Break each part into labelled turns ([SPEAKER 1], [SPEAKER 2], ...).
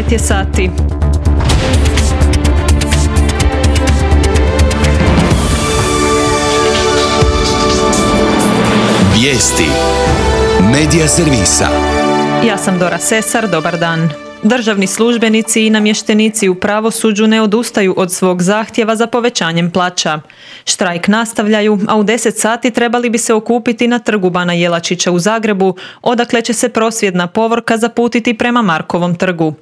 [SPEAKER 1] 9 je sati.
[SPEAKER 2] Vijesti Medija servisa.
[SPEAKER 1] Ja sam Dora Sesar, dobar dan. Državni službenici i namještenici u pravosuđu ne odustaju od svog zahtjeva za povećanjem plaća. Štrajk nastavljaju, a u 10 sati trebali bi se okupiti na trgu Bana Jelačića u Zagrebu, odakle će se prosvjedna povorka zaputiti prema Markovom trgu.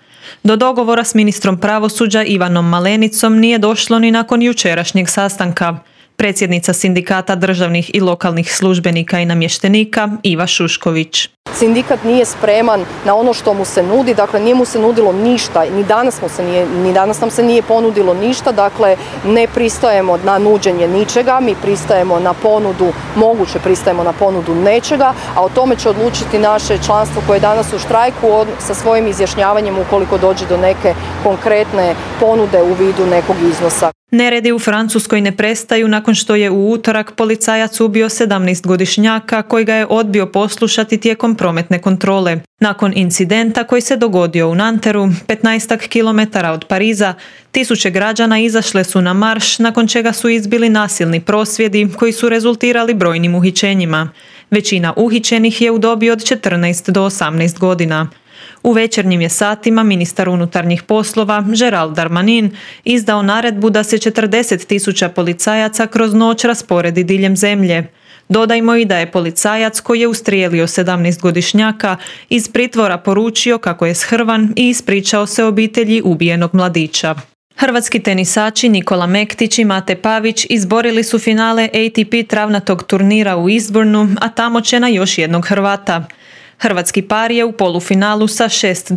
[SPEAKER 1] Do dogovora s ministrom pravosuđa Ivanom Malenicom nije došlo ni nakon jučerašnjeg sastanka. Predsjednica Sindikata državnih i lokalnih službenika i namještenika Iva Šušković.
[SPEAKER 3] Sindikat nije spreman na ono što mu se nudi, dakle nije mu se nudilo ništa, ni danas nam se nije ponudilo ništa, dakle ne pristajemo na nuđenje ničega, mi pristajemo na ponudu nečega, a o tome će odlučiti naše članstvo koje je danas u štrajku sa svojim izjašnjavanjem ukoliko dođe do neke konkretne ponude u vidu nekog iznosa.
[SPEAKER 1] Neredi u Francuskoj ne prestaju nakon što je u utorak policajac ubio 17-godišnjaka koji ga je odbio poslušati tijekom prometne kontrole. Nakon incidenta koji se dogodio u Nanteru, 15 km od Pariza, tisuće građana izašle su na marš nakon čega su izbili nasilni prosvjedi koji su rezultirali brojnim uhićenjima. Većina uhićenih je u dobi od 14 do 18 godina. U večernjim je satima ministar unutarnjih poslova Gerald Darmanin izdao naredbu da se 40.000 policajaca kroz noć rasporedi diljem zemlje. Dodajmo i da je policajac koji je ustrijelio 17-godišnjaka iz pritvora poručio kako je shrvan i ispričao se obitelji ubijenog mladića. Hrvatski tenisači Nikola Mektić i Mate Pavić izborili su finale ATP travnatog turnira u Eastbournu, a tamo će na još jednog Hrvata. Hrvatski par je u polufinalu sa 6-2,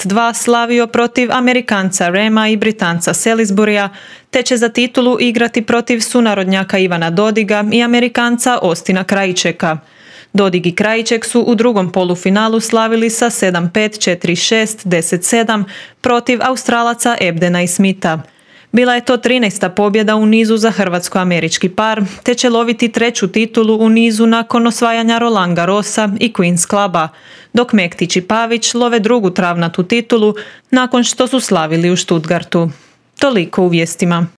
[SPEAKER 1] 6-2 slavio protiv Amerikanca Rema i Britanca Salisburya, te će za titulu igrati protiv sunarodnjaka Ivana Dodiga i Amerikanca Austina Krajčeka. Dodig i Krajček su u drugom polufinalu slavili sa 7-5, 4-6, 10-7 protiv Australaca Ebdena i Smitha. Bila je to 13. pobjeda u nizu za hrvatsko-američki par, te će loviti 3. titulu u nizu nakon osvajanja Roland Garrosa i Queen's Cluba, dok Mektić i Pavić love 2. travnatu titulu nakon što su slavili u Stuttgartu. Toliko u vijestima.